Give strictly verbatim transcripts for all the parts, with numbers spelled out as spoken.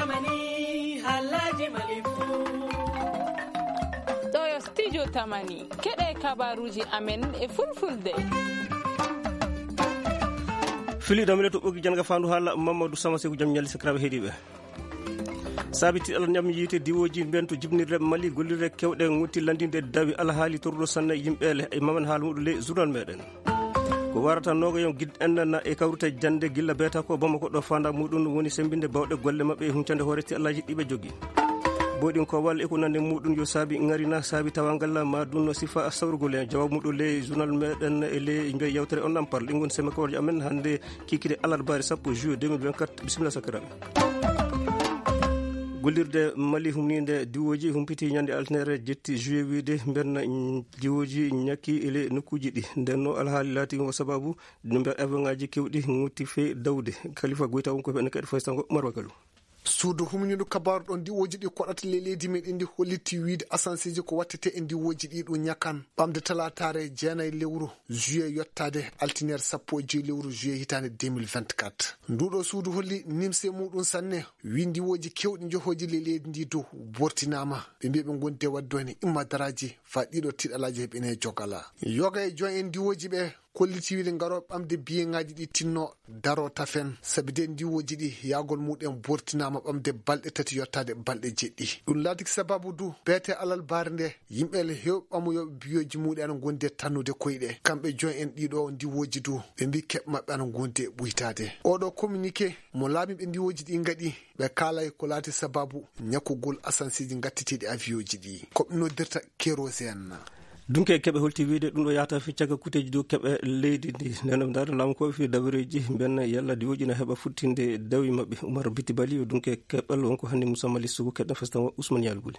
Tamani, halaji malifu. Ɗo yo studio Tamani. Keɗe kabaruji amen e fulfulde. Filiɗo amen to ɓogi janga fandu hala Mamadou Sama Seku jam ñalli sakiraɓe heɗiɓe. Sabi tiɗal ñam yiite diwoji mben to jibnirde Mali gollirde kewɗe ŋutti landinde dawi alhaali torruɗo sanne yimɓe le e mamen haala muɗum ley journal meɗen. Ko warata noga yon gid en na e kawrita jande gilla beta ko Bamako ɗo fanda muɗum woni sembinde bawɗe golle maɓɓe e huncande hoore ti Allaji ɗiɓe jogi. Boɗin ko walla e ko nande muɗum yo saabi ŋarina saabi tawangal ma ɗum no sifa sawrugol en jawab muɗum ley journal meɗen e ley joy yewtere on nampal ɗin gon seme koorje amen hande kikide alarbaare sappo juillet deux mille vingt-quatre. Bisimilla sakiraɓe. Gollirde Mali humninde diwoji humpiti ñande altinere jetti juillet wiide mbenna diwoji ñakki ele nokkuji ɗi ndenno alhaali laati o sababu ɗum mbiya avion ngaji kewɗi ŋutti fe dawde. Kalifa Goyta won ko ɓen kadi faysango Marwa Kalu. Suudu humñudu kabaru ɗon diwoji ɗi koɗata le leydi men indi hollitti wiide asanseji ko wattete e diwoji ɗi ɗum ñakan ɓamde talatare jeenayi lewru juillet yottade altinere sappo e joyi lewru juillet hitande deux mille vingt-quatre. Nduɗo suudu holli nimse muɗum sanne wi diwoji kewɗi johoji le leydi ndi dow bortinama ɓe mbiya ɓe gondi e wadde woni immadaraji fa ɗiɗo tiɗalaji heɓene jogala yoga e join en diwoji ɓe kolliti wiide ngaro ɓamde biyeŋaji ɗi tinno daro tafen sabi de ndiwoji ɗi yagol muɗen bortinama ɓamde balɗe tati yottade balɗe jeɗɗi ɗum laatiki sababu du beete alal baare nde yimɓe le hewɓamo yo biyoji muɗe ana gondi e tannude koyɗe kamɓe join en ɗiɗo ndiwoji du ɓe mbi keɓ maɓɓe ana gondi e ɓuytade oɗo communiqué mo laamiɓe ndiwoji ɗi gaɗi ɓe kaalay ko laati sababu ñakkugol asanseji gattitiiɗi avion ji ɗi ko ɓe noddirta kérosène. Dunke keɓe holti wiide ɗum ɗo yahata fi cagga kuteji dow keɓe leydi ndi nden ɗo ndaari laamu ko fi dabareji mben yalla diwoji na heɓa futtinde dawi maɓɓe Umar Biti Bali o dunke keɓal wonko hanni Moussa Mali Sougou keɗɗa festan wa Ousmane Yalbuli.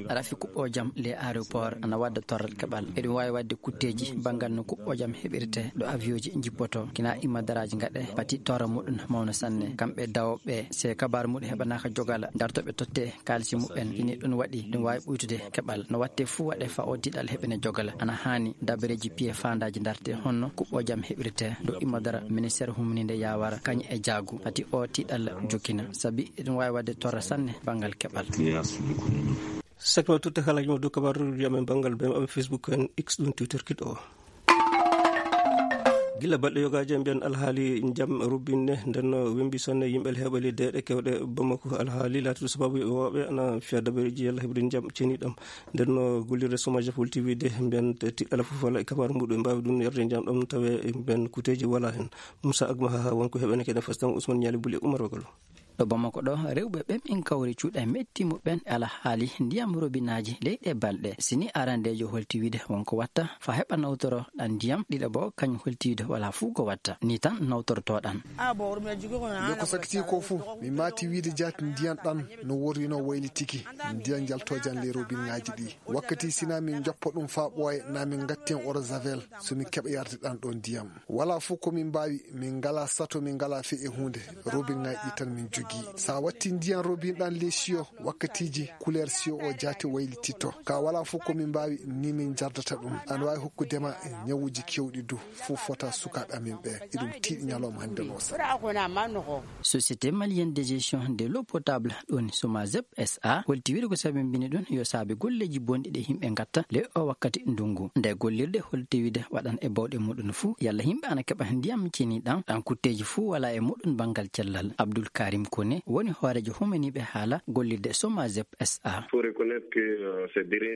Rafi kuɓɓo jam les aéroports ana wadda torral keɓal eɗum wawi wadde kutteji bangal no kuɓɓo jam heɓirte ɗo avion ji jippoto kina imma daraji gaɗe pati torra muɗum mawna sanne kamɓe dawoɓe se kabaru muɗum heɓanaka jogala dartoɓe totte kalisi muɓɓen ini ɗum waɗi ɗum wawi ɓuytude keɓal no watte fuu waɗe fa o tiɗal heɓene jogala ana hani dabareji piye fandaji darte honno kuɓɓo jam heɓirte ɗo imma dara ministére humninde yawara kañum e jaagu pati o tiɗal jokkina sabi eɗum wawi wadde torra sanne bangal keɓal. Sakma tutte kala jimo dow kabaruji amen bangal be maɓɓe Facebook en x ɗum twitter kiɗo o. Gila balɗe yogaji en mbiyan alhaali jam rubinne ndenno wimbi sonne yimɓe heɓali deeɗe kewɗe bamako alhaali laatude sababu wooɓe ana fiya dabareji yalla heɓude jam ceniɗam ndenno gollirde somaji holti wiide mbiyan tiɗɗala fof walla e kabaru muɗum mbawi ɗum yarde jam ɗam tawe mbiyan kuteji wala hen. Moussa Agma ha wonko heɓene kene fastan Ousmane Ñali Buli Oumar Wagalo. Ɗo Bamako ɗo rewɓe ɓen min kawri cuuɗa metti muɓɓen e alhaali ndiyam robinaaji ley ɗe balɗe sini arandeejo holti wiide wonko watta fa heɓa nawtoro ɗan ndiyam ɗiɗo bo kañum holti wiide wala fuu ko watta ni tan nawtortoɗan. Yo ko sakiti ko fuu mi maati wiide jaati ndiyan ɗan no worrino waylitiki ndiyan jaltojan ley robinaaji ɗi wakkati sina min joppo ɗum fa ɓooye na min gatti en oro javel so min keɓa yarde ɗan ɗo ndiyam. Wala fof ko min mbaawi, min ngalaa sato, min ngalaa fii e huunde. Robinŋaaji ɗi tan min njogii. So a wattii ndiyan robin ɗan ley siyo, wakkatiiji kuleer siyo o jaati waylititto. Ka wala fof ko min mbaawi, ni min njardata ɗum. Ana waawi hokkude ma ñawuuji keewɗi du. Fof fota sukaaɓe amin ɓe. Eɗum tiiɗi ñalawma hannde no sa. Société malienne de gestion de l'eau potable ɗon Somazep S A holti wiide ko sabimbini ɗum yo saabe golleeji bonɗi ɗe yimɓe ngatta ley o wakkati ndungu. Nde gollirde holti wiide waɗan e bawɗe muɗum fuu yalla yimɓe ana keɓa ndiyam ceniɗam ɗan kutteeji fuu wala e muɗum banngal cellal. Abdul Karim Kone woni hooreejo humaniiɓe haala gollirde Somazep S A.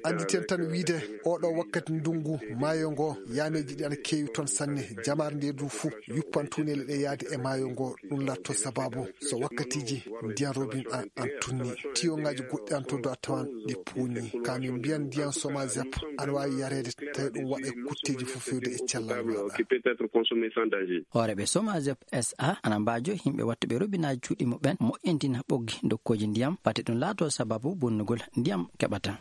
Anditen tan wiide oɗo wakkati ndungu maayo ngo yaameeji ɗi ana keewi toon sanne. Jamaare nde du fuu yuppan tuuneele ɗe yaade e maayo ngo. Ɗum latto sababu so wakkatiiji ndiyan robin an an tunni tiyoŋaaji goɗɗi an to do a tawan ɗi puuni ka min mbiyan ndiyan Somazep ana waawi yareede tawi ɗum waɗa e kutteeji fof fewde e cellal maaɗa. Hooreeɓe Somazep S A ana mbaajo yimɓe wattuɓe robinaaji cuuɗi muɓɓen moƴƴintina ɓoggi dokkooji ndiyam pati ɗum laato sababu bonnugol ndiyam keɓata.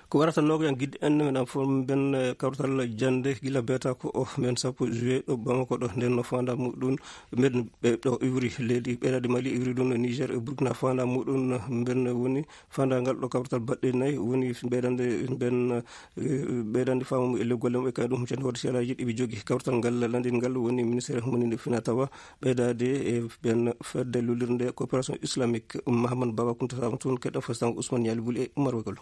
Ko warata nogo en gidde en men am fof ben kawtal jande gila beta ko o men sappo juillet ɗo Bamako ɗo nden no fanda muɗum. Mbeɗen ɓe ɗo iwri leydi ɓeydade Mali iwri ɗum no Niger e Burkina fanda muɗum. Mbeɗen woni fandagal ɗo kawrital baɗɗe nayi woni ɓeydande mbeɗen ɓeydande faamu e le golle maɓɓe kay ɗum huccande hoto selaji ɗiɓe jogi kawrital ngal landin ngal woni ministére moni nde fina tawa ɓeydade e ɓen fedde lullirde ko Fédération Islamique, Mahamad Baba Kunta Saba, toon keɗɗo Fastango Ousmane Yali Buli e Umar Wagalo.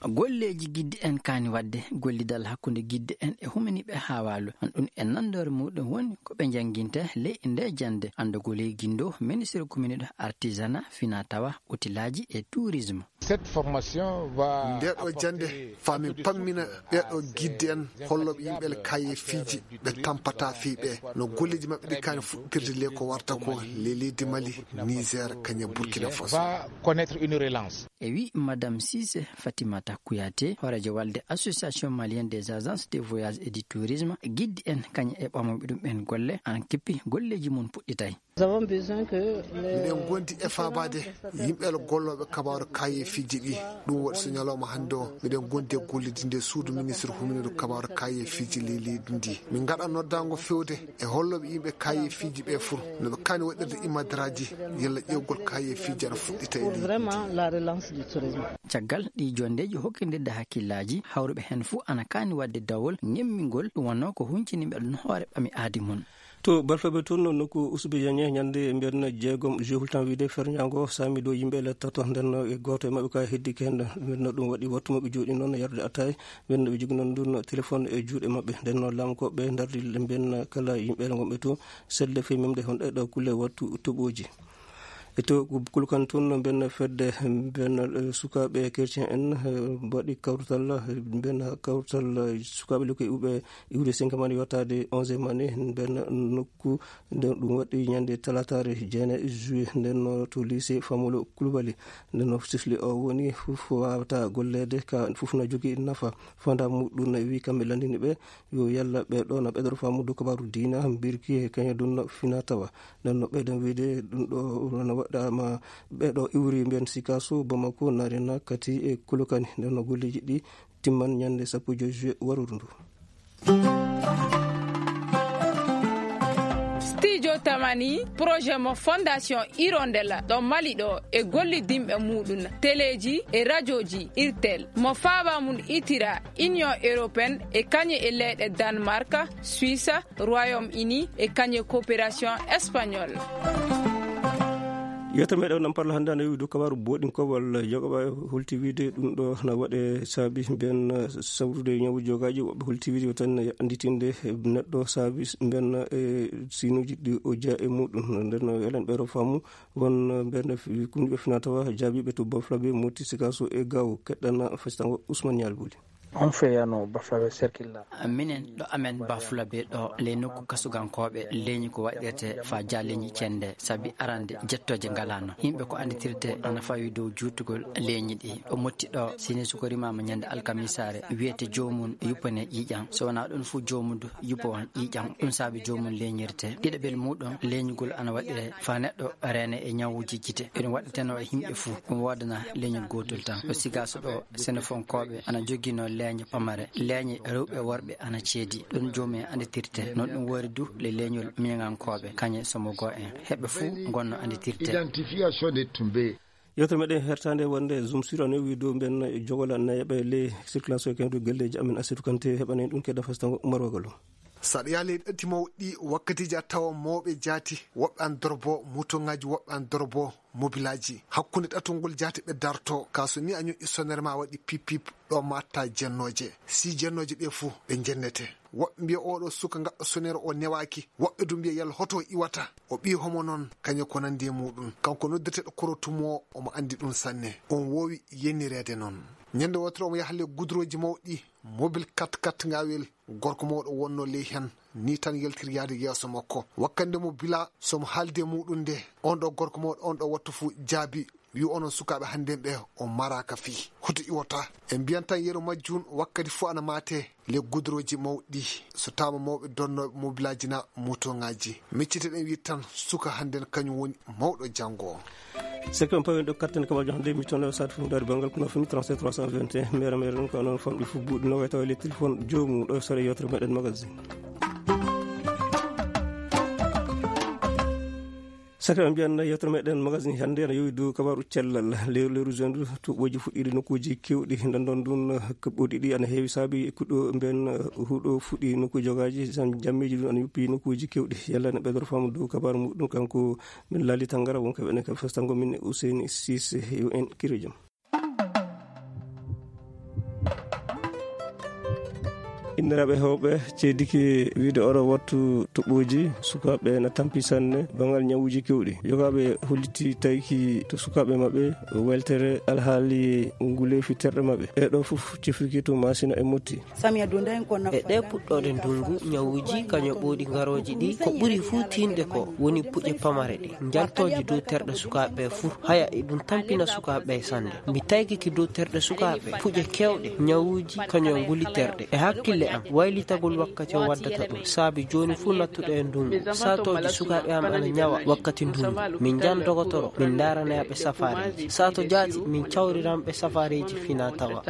Golleeji gidde en kaani waɗde gollidal hakkunde gidde en e humaniiɓe haa waalo. Ɗum en nanndoore muɗum woni ko ɓe njannginta ley nde jannde. Anndagol e gindo, ministre communiɗo artisanat, fina tawa, otilaaji e tourisme. Cette formation va Nde ɗo jannde apporter faa min pammina ɓee ɗo gidde en hollooɓe yimɓe le kaayeefiiji ɓe tampata fii ɓe no golleeji maɓɓe ɗi kaani fuɗɗirde le ko warta ko le leydi Mali, Niger, kañe Burkina Faso. Va connaître une relance. E wi Madame Cissé Fatimata Kouyaté, hooreejo walde Association Malienne des Agences de Voyage et du Tourisme, gidde en kañe e ɓamooɓe ɗum en golle ana kippi golleeji mum puɗɗitay. Nous avons besoin que les Miɗen gondi e faabaade yimɓe le gollooɓe kabaaru kaayeefiiji ɗi. Ɗum waɗi so ñalawma hannde o miɗen gondi e gollidi nde suudu ministre huminoodu kabaaru kaayeefiiji ley leydi ndi. Min ngaɗa noddaango fewde e hollooɓe yimɓe kaayeefiiji ɓe fof no ɓe kaani waɗirde imadaraaji yalla ƴeewgol kaayeefiiji ana fuɗɗita e leydi ndi. Vraiment la relance du tourisme. Caggal ɗi jonndeeji hokkindirde hakkillaaji, hawruɓe heen fof ana kaani waɗde dawol ngemmingol, ɗum wonnoo ko huncini ɓe ɗum hoore ɓami aadi mum. To Balfaɓe toon, nokku Usbe Yañe, ñande mbiyen jeegom juillet, hultan wiide ferñaango saami dow yimɓe le tato, nden e gooto e maɓɓe ka heddike heen, nden ɗum waɗi wattu maɓɓe jooɗi noon yarde ataay, nden ɓe jogi noon ɗum téléphone e juuɗe maɓɓe, nden noon laamu ko ɓe ndardi mbiyen kala yimɓe le ngonɓe to, selle fii memde hon ɗe ɗo kulle wattu toɓooji. E to Kulukan toon, mbiyen fedde, mbiyen, eh, sukaaɓe chrétien en, eh, mbaɗi kawtal, eh, mbiyen kawtal, eh, sukaaɓe lekkoy uɓe iwde cinq mani yottaade onze mani, mbiyen nokku, nden ɗum waɗi ñande talataare jeenayi juillet, nden no to lycée Famolo Koulibaly. Nden no sifli o woni fof wawata golleede, ka fof na jogii nafa. Fanda muɗum na wi kamɓe landini ɓe, yo yalla ɓe ɗo na ɓeɗoro faamude kabaaru diina, mbirki e kañum ɗum na fina tawa. Nden no ɓeyden wiide ɗum ɗo no waɗama ɓe ɗo iwri mbiyen Sikaso, Bamako, Narena, Kati e Kolokani. Nden no golleeji ɗi timman ñande sappo e joy juillet warudu ndu. Studio Tamani, projet mo Fondation Hirondelle ɗo Mali ɗo e gollidinɓe muɗum, teleeji e rajooji Irtel, mo faaba mum itira Union Européenne e kañe e leyɗe Danemark, Suisse, Royaume-Uni e kañe coopération espagnole. Yewtere meɗen nam parla hannde ana yowi dow kabaru boɗin kowal jogoɓa holti wiide ɗum ɗo na waɗe saabi ben sawrude ñawu jogaji woɓɓe holti wiide yo tan anditinde neɗɗo saabi ben e sinuji ɗi o jaa e muɗum. Nden elen ɓeero faamu won ben kundiɓe fina tawa jaabiɓe to Baflabe, Moti, Sikaso e Gawo. Keɗɗana fasitango Ousmane Yalbuli. On fait à nos Baflabe circuit là. Minen ɗo amen Baflabe ɗo ley nokku kasugankooɓe leñi ko waɗirte fa ja leñi cende, sabi arande jettooje ngalano. Yimɓe ko anditirte ana fawi dow juutugol leñi ɗi. Ɗo motti ɗo, sini suko rimama ñande alkamisaare, wiyete joomum yuppane ƴiiƴam. So wonaa ɗum fu joomudu yuppo on ƴiiƴam. Ɗum saabi joomum leñirte. Ɗiɗaɓel muɗum leñugol ana waɗire fa neɗɗo reene e ñawuji gite. Ɗum waɗateno e yimɓe fu. Ɗum woodana leñol gootol tan. Ɗo Sikaso ɗo, Senefonkooɓe ana joginoo leeñe pamare, leeñe rewɓe worɓe ana ceedi. Ɗum joomum en annditirte. Noon ɗum woori du le leeñol miñaŋankooɓe, kañe Somogo en. Heɓɓe fuu ngonno annditirte. Identification de Tumbe. Yewtere meɗen hertande wonde Zoom sur a newi dow mben jogola nayaɓe ley circulation e kewdu galleeji amen Asetu Kante heɓanen ɗum kedda fastango Umar Wagalo. Saɗa yaha ley ɗatti mawɗi wakkatiiji a tawa mawɓe jaati, woɓɓe an dorbo mutoŋaaji, woɓɓe an dorbo mobilaaji. Hakkunde ɗato ngol jaati ɓe darto, ka so ni a ñoƴƴi sonere ma waɗi pip pip, ɗo matta jennooje. Si jennooje ɗe fuu ɓe jennete. Woɓɓe mbiya oɗo suka gaɗɗo sonere o newaaki. Woɓɓe du mbiya yalla hoto o iwata. O ɓii homo noon, kañum ko nandi e muɗum. Kanko noddeteɗo korotumo o, omo andi ɗum sanne. On woowi yenireede noon. Ñande wootere omo yaha ley gudurooji mawɗi, mobil kat kat ngawel. Gorko mawɗo wonno ley hen, ni tan yaltiri yaade yeeso makko. Wakkande mo bila, so mo haaldi e muɗum nde, on ɗo gorko mawɗo, on ɗo wattu fu jaabi, wi onon sukaaɓe hannde ɓe, on maraaka fii. Hoto iwota. En mbiyan tan yeru majjum wakkati fu ana maate ley gudurooji mawɗi. So taama mawɓe donnooɓe mobilaaji na motoŋaaji. Miccite ɗen wi tan suka hannde kañum woni mawɗo janngo o. Sekon pawen ɗo katten kamal jahande mi toon sat fu ndar bangal kono fini trente-sept trois cent vingt et un mere mere ɗum ko noon famɗi fu buuɗi no wayta wale téléphone joomu ɗo sore yewtere meɗen magazine. Saka mbiyan yewtere meɗen magazine hannde ana yowi dow kabaru cellal. Leru leru zendu tuɓɓoji fuɗɗiɗi nokkuji kewɗi. Ndandon ɗum, kaɓɓoɗi ɗi ana heewi saabi kuɗo mben, huɗo fuɗɗi nokku jogaji, jam-, jammeji ɗum ana yuppi nokkuji kewɗi. Yalla ne ɓeydoro faamu dow kabaru muɗum kanko min Lali Tangara, wonko ɓene ka festango min Ousseyni Cissé, yo en kiro jam. Inniraaɓe heewɓe ceediki wiide oɗo wattu toɓɓooji sukaaɓe na tampi sanne banngal ñawuuji kewɗi. Yogaaɓe holliti tayki to sukaaɓe maɓɓe weltere alhaali nguleefi terɗe maɓɓe. Ɗee ɗoo fof cifriki to Maasina e Motti. E ɗee puɗɗooɗe ndunngu, ñawuuji kañum ɓooɗi ngarooji ɗi, ko ɓuri fuu tiiɗde ko woni puƴe pamare ɗe, njaltooje dow terɗe sukaaɓe ɓe fuu, haya e ɗum tampina sukaaɓe ɓe sanne. Mi taygike dow terɗe sukaaɓe, puƴe keewɗe, ñawuuji kañum nguli terɗe. E hakkille am, waylitagol wakkati o waddata ɗum, saabi jooni fuu nattuɗo e ndunngu, saatooji sukaaɓe am ana ñawa wakkati ndunngu. Min njan dogotoro, min ndaarana ɓe safaareeji. Saato jaati, min cawriran ɓe safaareeji fina tawa.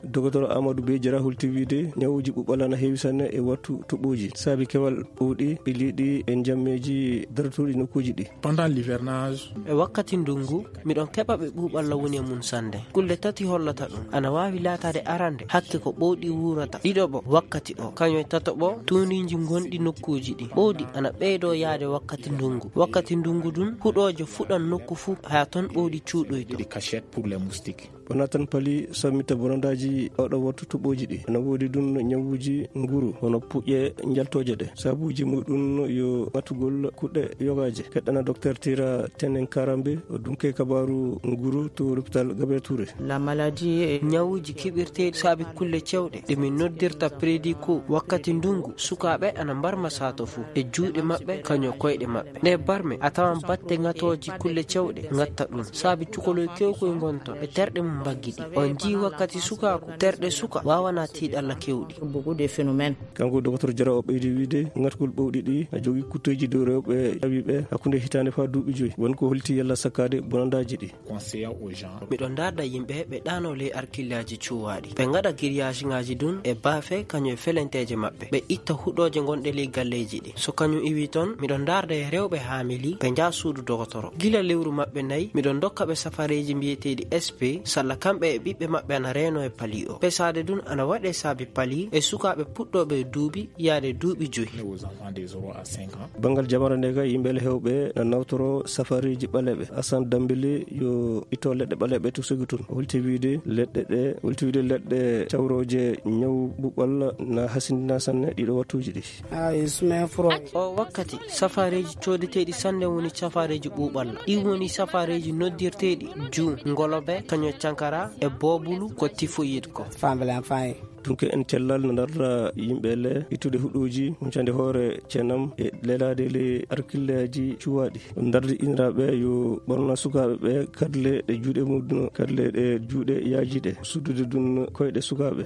Dogotoro Amadou Bey Jara holti wiide ñawuuji ɓuɓɓal ana heewi sanne e wattu toɓɓooji, saabi kewal ɓowɗi ɓiliiɗi e njammeeji dartuɗi nokkuuji ɗi. Pendant l'hivernage. E wakkati ndunngu, miɗon keɓa ɓe ɓuuɓalla woni e mum sanne. Kulle tati hollata ɗum. Ana waawi laataade arande, hakke ko ɓowɗi wuurata. Ɗiɗo ɓo, wakkati o. Kañum e tato ɓo, tuundiiji ngonɗi nokkuuji ɗi. Ɓowɗi ana ɓeydoo yaade wakkati ndunngu. Wakkati ndunngu ɗum, huɗooje fuɗan nokku fuu, haa toon ɓowɗi cuuɗoyto. Des cachettes pour les moustiques. Wonaa tan pali sammita bonandaaji oɗo wattu toɓɓooji ɗi. Ana woodi ɗum ñawuuji nguru, hono puƴe njaltooje ɗe. Sabuuji muɗum yo ŋatugol kuɗɗe yogaaje. Keɗɗana Docteur Tira Tenen Karambe, o dunke kabaaru nguru to l'hôpital Gabriel Touré. La maladie est ñawuuji keɓirteeɗi saabi kulle cewɗe ɗe min noddirta prédit ko wakkati ndunngu, sukaaɓe ana mbarma saato fuu e juuɗe maɓɓe, kañum koyɗe maɓɓe. Nde barme, a tawan batte ŋatooji kulle cewɗe ŋatta ɗum. Saabi cukoloy kewkoy ngonton e terɗe mum mbaggi ɗi. On njii wakkati sukaaku, terɗe suka waawana tiiɗalla kewɗi. Beaucoup de phénomènes. Kanko Docteur Jara o ɓeydi wiide, ŋatgol ɓowɗi ɗi na jogii kutteeji dow rewɓe ƴawiiɓe hakkunde hitaande faa duuɓi joyi. Won ko holti yalla sakkaade bonandaaji ɗi. Conseiller aux gens. Miɗo ndaarda yimɓe ɓe ɗaanoo ley arkillaaji cuwaaɗi. Ɓe ngaɗa giryaasiŋaaji ɗum e baafe kañum e felenteeje maɓɓe. Ɓe itta huɗooje ngonɗe ley galleeji ɗi. So kañum iwii toon, miɗo ndaarda e rewɓe haamili, ɓe njaha suudu dogotoro. Gila lewru maɓɓe nayi, miɗo ndokka ɓe safareeji mbiyeteeɗi S P, salla kamɓe e ɓiɓɓe maɓɓe ana reenoo e pali o. Pesaade ɗum ana waɗee saabi pali e sukaaɓe puɗɗooɓe e duuɓi yaade duuɓi joyi. Aux enfants de zéro à cinq ans. Banngal jamara nde ka, yimɓe le heewɓe na nawtoro safareeji ɓaleeɓe. Assane Dambélé yo itto leɗɗe ɓaleeɓe to Ségou toon. O holti wiide leɗɗe ɗe, holti wiide leɗɗe cawrooje ñaw ɓuɓɓal na hasindina sanne ɗiɗo wattuuji ɗi. Ah, il se met froid. O wakkati, safareeji coodeteeɗi sanne woni safareeji ɓuuɓalla. Ɗi woni safareeji noddirteeɗi juu, ngolobe, kañum cankara e boobulu ko tifoyid ko. Femme blanche, femme. Dunke en cellal no ndarda yimɓe le ittude huɗooji, huncande hoore ceenam e lelaade le arkilleeji cuwaaɗi. Ndardi iniraaɓe yo ɓorna sukaaɓe ɓe kadle ɗe juuɗe muɗum, kadle ɗe juuɗe yaajiiɗe, suddude ɗum koyɗe sukaaɓe.